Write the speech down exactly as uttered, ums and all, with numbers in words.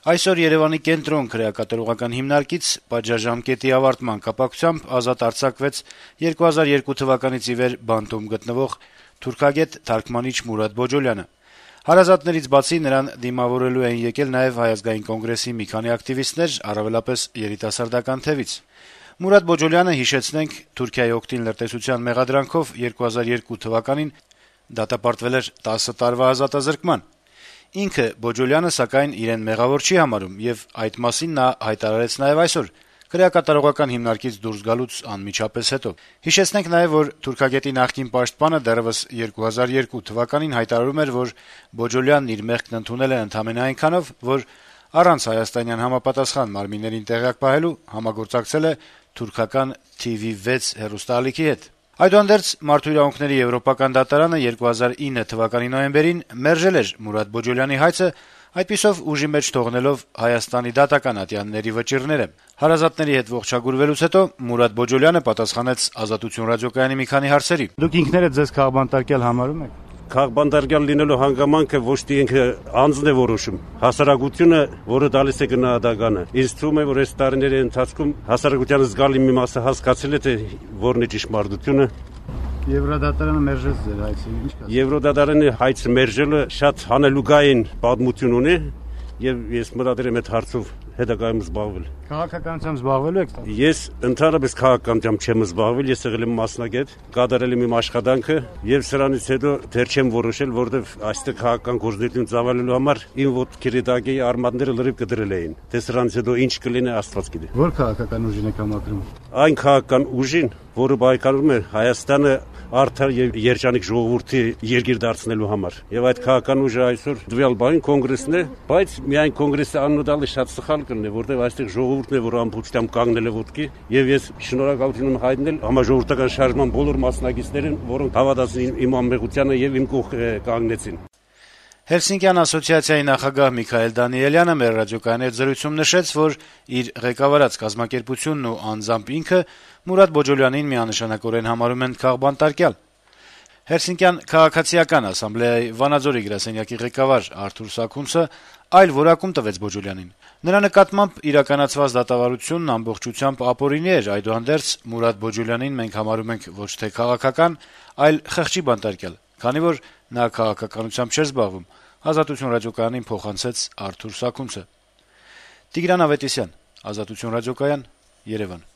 Այսօր Երեւանի կենտրոն քրեակատարողական հիմնարկից պատժաժամկետի ավարտման կապակցությամբ ազատ արձակվեց երկու հազար երկու թվականից ի վեր բանտում գտնվող թուրքագետ թարգմանիչ Մուրադ Բոջոլյանը։ Հարազատներից բացի նրան դիմավորելու են եկել նաեւ Հայ ազգային կոնգրեսի մի քանի ակտիվիստներ, առավելապես երիտասարդական թևից։ Մուրադ Բոջոլյանը, հիշեցնենք, Թուրքիայի օգտին լրտեսության մեղադրանքով երկու հազար երկու թվականին դատապարտվել էր տասը տարվա ազատազրկման։ Ինքը Բոջոլյանը, սակայն, իրեն մեղավոր չի համարում, եւ այդ մասին նա հայտարարեց նաեւ այսօր, քրեակատարողական հիմնարկից դուրս գալուց անմիջապես հետո։ Հիշեցնենք նաեւ, որ թուրքագետի նախկին պաշտպանը դեռեւս երկու հազար երկու թվականին հայտարարում էր, որ Բոջոլյանն իր մեղքն ընդունել է ընդամենը այնքանով, որ առանց հայաստանյան համապատասխան մարմիններին տեղյակ պահելու համագործակցել է թուրքական Թի Վի վեց հեռուստաալիքի հետ։ Այդուհանդերձ Մարդու իրավունքների եվրոպական դատարանը երկու հազար ինը թվականի նոյեմբերին մերժել էր Մուրադ Բոջոլյանի հայցը, այդպիսով ուժի մեջ թողնելով Հայաստանի դատական ատյանների վճիռները։ Հարազատների հետ ողջագուրվելուց հետո Մուրադ Բոջոլյանը պատասխանեց Ազատություն ռադիոկայանի մի քանի հարցերի։ Դուք ինքներդ ձեզ քաղբանտարկյալ համարում եք։ Քաղբանտարկյալ լինելու հանգամանքը ոչ թե ինքը անձն է որոշում, հասարակությունը, որը տալիս է գնահատականը։ Ինձ թվում է, որ այս տարիների ընթացքում հասարակության զգալի մի մասը հասկացել է, թե որն է ճշմարտությունը։ Եվրոդատարանը մերժեց ձեր հայցը, ինչ կասեք։ Եվրոդատարանի հայցը մերժելը շատ հանելուկային պատմություն ունի, եւ ես մտադիր եմ այդ հարցով հետագայում զբաղվել։ Քաղաքականությամբ զբաղվելու եք։ Ես ընդհանրապես քաղաքականությամբ չեմ զբաղվել, ես եղել եմ մասնագետ, կատարել եմ իմ աշխատանքը եւ սրանից հետո դեռ չեմ որոշել, որովհետեւ այստեղ քաղաքական գործունեություն ծավալելու համար իմ ոտքերի տակի արմատները լրիվ կդրել էին։ Դե սրանից հետո ինչ կլինի, Աստված գիտի։ Որ քաղաքական ուժին եք համակրում։ Այն քաղաքական ուժին, որը բայկարում է Հայաստանը արդար եւ երջանիկ ժողովրդի երկիր դարձնելու համար։ Եվ այդ քաղաքական ուժը այսօր դվյալ բան կոնգրեսն է, բայց միայն կոնգրեսը աննոդալի շատ սխալ կլինի, որտեղ այստեղ ժողովուրդն է, որ ամբողջությամբ կանգնել է ոտքի, եւ ես շնորհակալություն եմ հայտնել համաժողովրդական շարժման բոլոր մասնակիցներին, որոնք հավատացին իմ անմեղությանը եւ իմ կողք կանգնեցին։ Հելսինկյան ասոցիացիայի նախագահ Միքայել Դանիելյանը մեր ռադիոկայանի հետ զրույցում նշեց, որ իր ղեկավարած կազմակերպությունն ու անձամբ ինքը Մուրադ Բոջոլյանին միանշանակորեն համարում են քաղբանտարկյալ։ Հելսինկյան քաղաքացիական ասամբլեայի Վանաձորի գրասենյակի ղեկավար Արթուր Սաքունցը այլ որակում տվեց Բոջոլյանին։ Նրա նկատմամբ իրականացված դատավարությունն ամբողջությամբ ապօրինի էր, այդուհանդերձ Մուրադ Բոջոլյանին մենք համարում ենք ոչ թե քաղաքական, այլ խղճի բանտարկյալ, քանի որ նա քաղաքականությամբ չէր զբաղվում, Ազատություն ռադիոկայանին փոխանցեց Արթուր Սաքունցը։ Տիգրան Ավետիսյան, Ազատություն ռադիոկայան, Երևան։